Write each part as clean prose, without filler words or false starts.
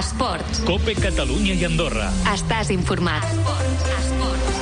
Esports. COPE Catalunya i Andorra. Estàs informat. Esports.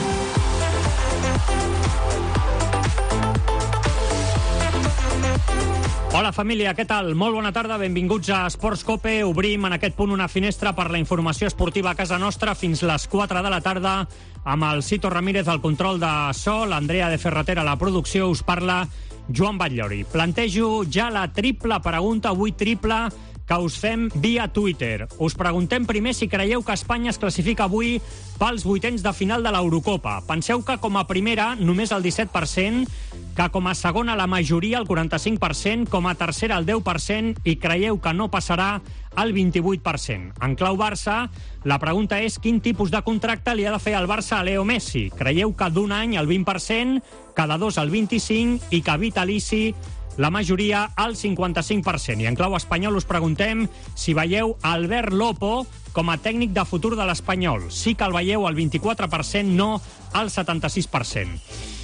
Hola família, què tal? Molt bona tarda, benvinguts a Esports COPE. Obrim en aquest punt una finestra per la informació esportiva a casa nostra fins les 4 de la tarda amb el Cito Ramírez al control de so, l'Andrea de Ferratera a la producció. Us parla Joan Batllori. Plantejo ja la triple pregunta, avui triple, que us fem via Twitter. Us preguntem primer si creieu que Espanya es classifica avui pels vuitens de final de l'Eurocopa. Penseu que com a primera només el 17%, que com a segona la majoria, el 45%, com a tercera el 10% i creieu que no passarà el 28%. En clau Barça, la pregunta és quin tipus de contracte li ha de fer el Barça a Leo Messi. Creieu que d'un any el 20%, cada dos el 25% i que vitalici la majoria al 55%. I en clau espanyol us preguntem si veieu Albert Lopo com a tècnic de futur de l'Espanyol. Sí que el veieu al 24%, no al 76%.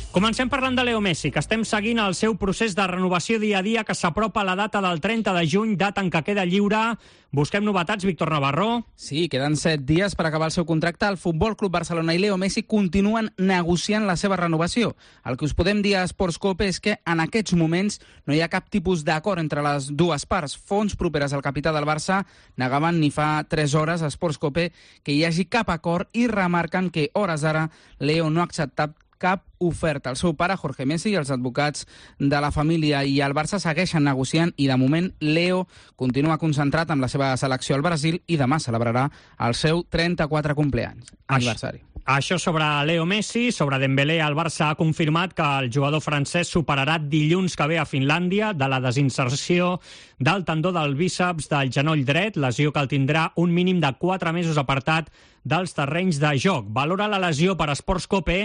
Comencem parlant de Leo Messi, que estem seguint el seu procés de renovació dia a dia, que s'apropa a la data del 30 de juny, data en què queda lliure. Busquem novetats, Víctor Navarro. Sí, queden 7 dies per acabar el seu contracte. El Futbol Club Barcelona i Leo Messi continuen negociant la seva renovació. El que us podem dir a Esports COPE és que en aquests moments no hi ha cap tipus d'acord entre les dues parts. Fonts properes al capità del Barça negaven ni fa 3 hores a Esports COPE que hi hagi cap acord i remarquen que hores d'ara Leo no ha acceptat cap oferta. El seu pare, Jorge Messi, i els advocats de la família i el Barça segueixen negociant i, de moment, Leo continua concentrat amb la seva selecció al Brasil i demà celebrarà el seu 34 aniversari. Això sobre Leo Messi. Sobre Dembélé, el Barça ha confirmat que el jugador francès superarà dilluns que ve a Finlàndia de la desinserció del tendó del bíceps del genoll dret, lesió que el tindrà un mínim de 4 mesos apartat dels terrenys de joc. Valora la lesió per Esports COPE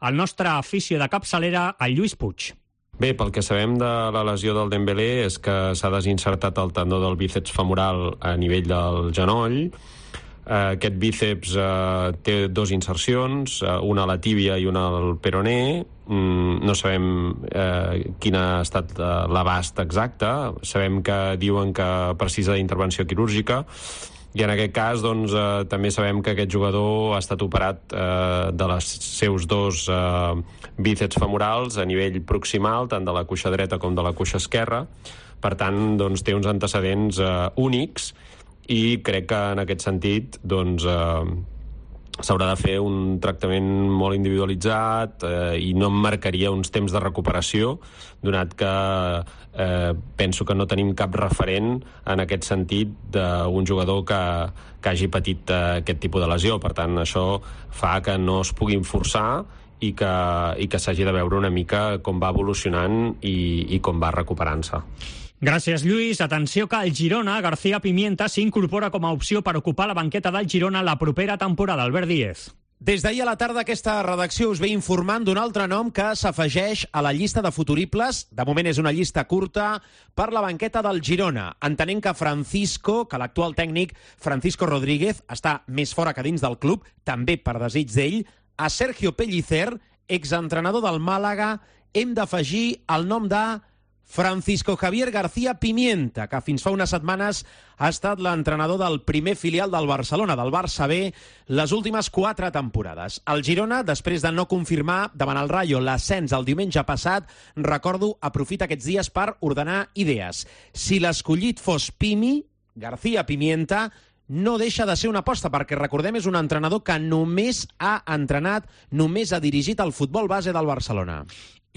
el nostre afició de capçalera, el Lluís Puig. Bé, pel que sabem de la lesió del Dembélé és que s'ha desinsertat el tendó del bíceps femoral a nivell del genoll. Aquest bíceps té 2 insercions, una a la tíbia i una al peroné. No sabem quin ha estat l'abast exacte. Sabem que diuen que precisa d'intervenció quirúrgica. I en aquest cas, doncs, també sabem que aquest jugador ha estat operat de les seus 2 bíceps femorals a nivell proximal, tant de la cuixa dreta com de la cuixa esquerra. Per tant, doncs, té uns antecedents únics i crec que en aquest sentit doncs, s'haurà de fer un tractament molt individualitzat i no em marcaria uns temps de recuperació, donat que penso que no tenim cap referent en aquest sentit d'un jugador que hagi patit aquest tipus de lesió. Per tant, això fa que no es puguin forçar i que s'hagi de veure una mica com va evolucionant i com va recuperant-se. Gràcies, Lluís. Atenció que el Girona, García Pimienta, s'incorpora com a opció per ocupar la banqueta del Girona la propera temporada. Albert Díez. Des d'ahir a la tarda aquesta redacció us ve informant d'un altre nom que s'afegeix a la llista de futuribles. De moment és una llista curta per la banqueta del Girona. Entenent que que l'actual tècnic Francisco Rodríguez està més fora que dins del club, també per desig d'ell, a Sergio Pellicer, exentrenador del Màlaga, hem d'afegir el nom de Francisco Javier García Pimienta, que fins fa unes setmanes ha estat l'entrenador del primer filial del Barcelona, del Barça B, les últimes 4 temporades. El Girona, després de no confirmar davant el Rayo l'ascens el diumenge passat, recordo, aprofita aquests dies per ordenar idees. Si l'escollit fos Pimi, García Pimienta, no deixa de ser una aposta, perquè recordem és un entrenador que només ha entrenat, només ha dirigit el futbol base del Barcelona.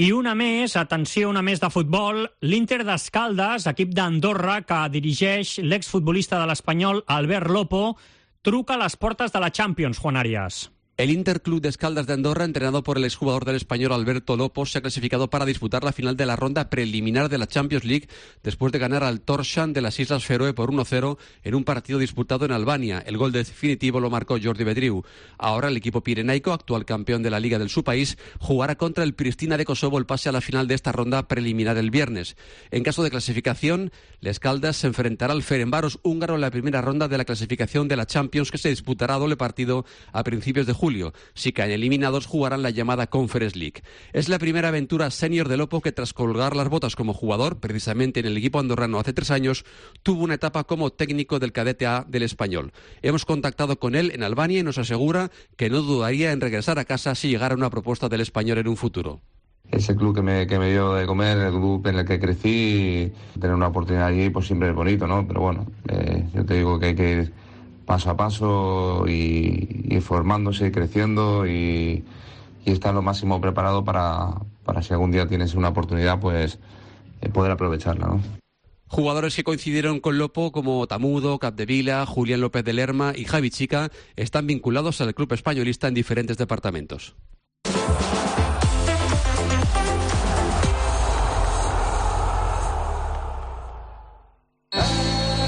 I una més, atenció, una més de futbol. L'Inter d'Escaldes, equip d'Andorra que dirigeix l'exfutbolista de l'Espanyol Albert Lopo, truca a les portes de la Champions, Juan Arias. El Interclub de Escaldas de Andorra, entrenado por el exjugador del Español Alberto Lopo, se ha clasificado para disputar la final de la ronda preliminar de la Champions League después de ganar al Tórshavn de las Islas Feroe por 1-0 en un partido disputado en Albania. El gol definitivo lo marcó Jordi Bedriu. Ahora el equipo pirenaico, actual campeón de la Liga del su país, jugará contra el Pristina de Kosovo el pase a la final de esta ronda preliminar el viernes. En caso de clasificación, el Escaldas se enfrentará al Ferencváros húngaro en la primera ronda de la clasificación de la Champions, que se disputará a doble partido a principios de julio. julio. Si caen eliminados, jugarán la llamada Conference League. Es la primera aventura senior de Lopo que, tras colgar las botas como jugador, precisamente en el equipo andorrano hace 3 años, tuvo una etapa como técnico del cadete A del Español. Hemos contactado con él en Albania y nos asegura que no dudaría en regresar a casa si llegara una propuesta del Español en un futuro. Es el club que me dio de comer, el club en el que crecí, tener una oportunidad allí pues siempre es bonito, ¿no? Pero bueno, yo te digo que hay que ir paso a paso y formándose y creciendo y estar lo máximo preparado para si algún día tienes una oportunidad, pues poder aprovecharla, ¿no? Jugadores que coincidieron con Lopo como Tamudo, Capdevila, Julián López de Lerma y Javi Chica están vinculados al club españolista en diferentes departamentos.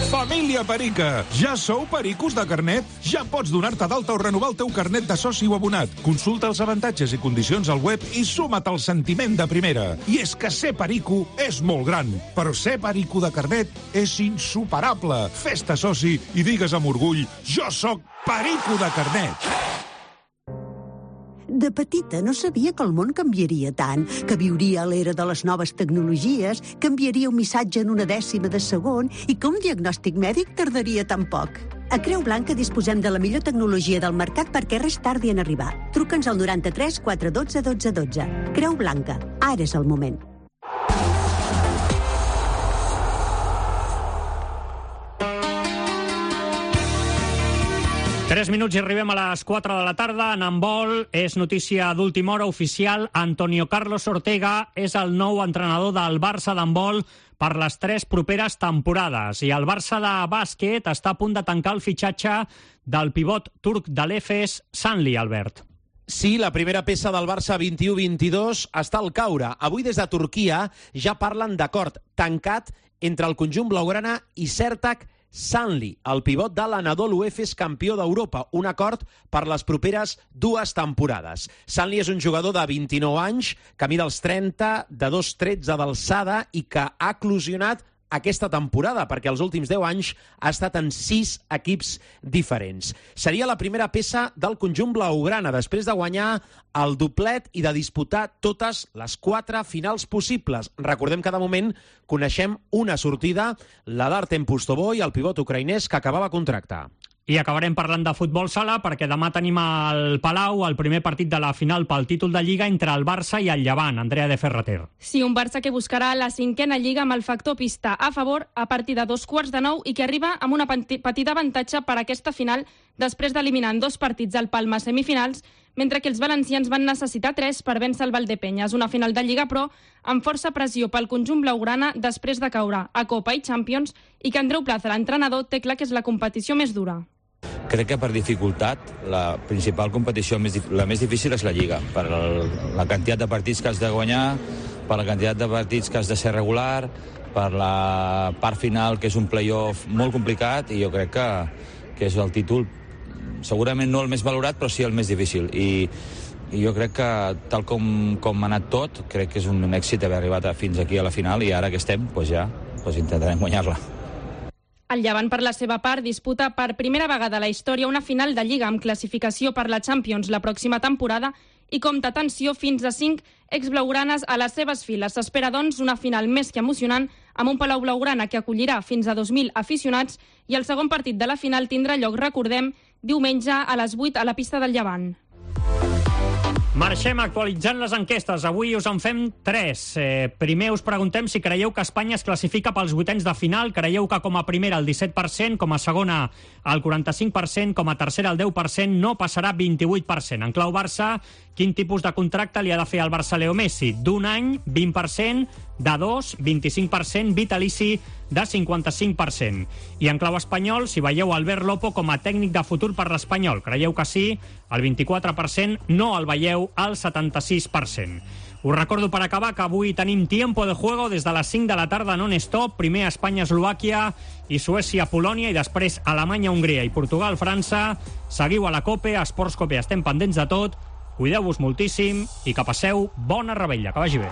Família Perica, ja sou pericos de carnet? Ja pots donar-te d'alta o renovar el teu carnet de soci o abonat. Consulta els avantatges i condicions al web i suma't al sentiment de primera. I és que ser perico és molt gran, però ser perico de carnet és insuperable. Fes-te soci i digues amb orgull: jo sóc perico de carnet. De petita no sabia que el món canviaria tant, que viuria a l'era de les noves tecnologies, que enviaria un missatge en una dècima de segon i que un diagnòstic mèdic tardaria tan poc. A Creu Blanca disposem de la millor tecnologia del mercat perquè res tardi en arribar. Truca'ns al 93 412 12 12. Creu Blanca, ara és el moment. Tres minuts i arribem a les 4 de la tarda. En handbol és notícia d'última hora oficial. Antonio Carlos Ortega és el nou entrenador del Barça d'handbol per les 3 properes temporades. I el Barça de bàsquet està a punt de tancar el fitxatge del pivot turc de l'Efes, Sanli, Albert. Sí, la primera peça del Barça 21-22 està al caure. Avui des de Turquia ja parlen d'acord tancat entre el conjunt blaugrana i Sertac Sanli, el pivot de l'Anadolu Efes, campió d'Europa. Un acord per les properes 2 temporades. Sanli és un jugador de 29 anys, que mida els 30, de 2,13 d'alçada i que ha eclosionat aquesta temporada, perquè els últims 10 anys ha estat en 6 equips diferents. Seria la primera peça del conjunt blaugrana, després de guanyar el doblet i de disputar totes les 4 finals possibles. Recordem que de moment coneixem una sortida, la d'Artem Pustovoy, el pivot ucraïnès que acabava contracte. I acabarem parlant de futbol sala perquè demà tenim al Palau el primer partit de la final pel títol de Lliga entre el Barça i el Llevant. Andrea de Ferrater. Sí, un Barça que buscarà la 5a Lliga amb el factor pista a favor a partir de 9:15 i que arriba amb una petita avantatge per a aquesta final després d'eliminar en 2 partits al Palma semifinals, mentre que els valencians van necessitar 3 per vèncer el Valdepenyes. Una final de Lliga, però, amb força pressió pel conjunt blaugrana després de caure a Copa i Champions i que Andreu Plaza, l'entrenador, té clar que és la competició més dura. Crec que per dificultat la principal competició, la més difícil és la Lliga, per la quantitat de partits que has de guanyar, per la quantitat de partits que has de ser regular, per la part final, que és un play-off molt complicat, i jo crec que és el títol, segurament no el més valorat, però sí el més difícil. I jo crec que, tal com ha anat tot, crec que és un èxit haver arribat fins aquí a la final, i ara que estem, ja intentarem guanyar-la. El Llevant, per la seva part, disputa per primera vegada a la història una final de Lliga amb classificació per la Champions la pròxima temporada i compta, atenció, fins a 5 exblaugranes a les seves files. S'espera, doncs, una final més que emocionant amb un Palau blaugrana que acollirà fins a 2.000 aficionats i el segon partit de la final tindrà lloc, recordem, diumenge a les 8 a la pista del Llevant. Marxem actualitzant les enquestes. Avui us en fem 3. Primer us preguntem si creieu que Espanya es classifica pels 8ens de final. Creieu que com a primera el 17%, com a segona el 45%, com a tercera el 10%, no passarà 28%. En clau Barça, quin tipus de contracte li ha de fer al Barça Leo Messi? D'1 any, 20%, de 2, 25%, vitalici de 55%. I en clau espanyol, si veieu Albert Lopo com a tècnic de futur per l'Espanyol, creieu que sí, el 24%, no el veieu, el 76%. Us recordo per acabar que avui tenim tiempo de juego des de les 5 de la tarda non-stop, primer Espanya-Eslovàquia i Suècia-Polònia i després Alemanya-Hongria i Portugal-França. Seguiu a la COPE, a Esports COPE, estem pendents de tot, cuideu-vos moltíssim i que passeu bona revetlla, que vagi bé.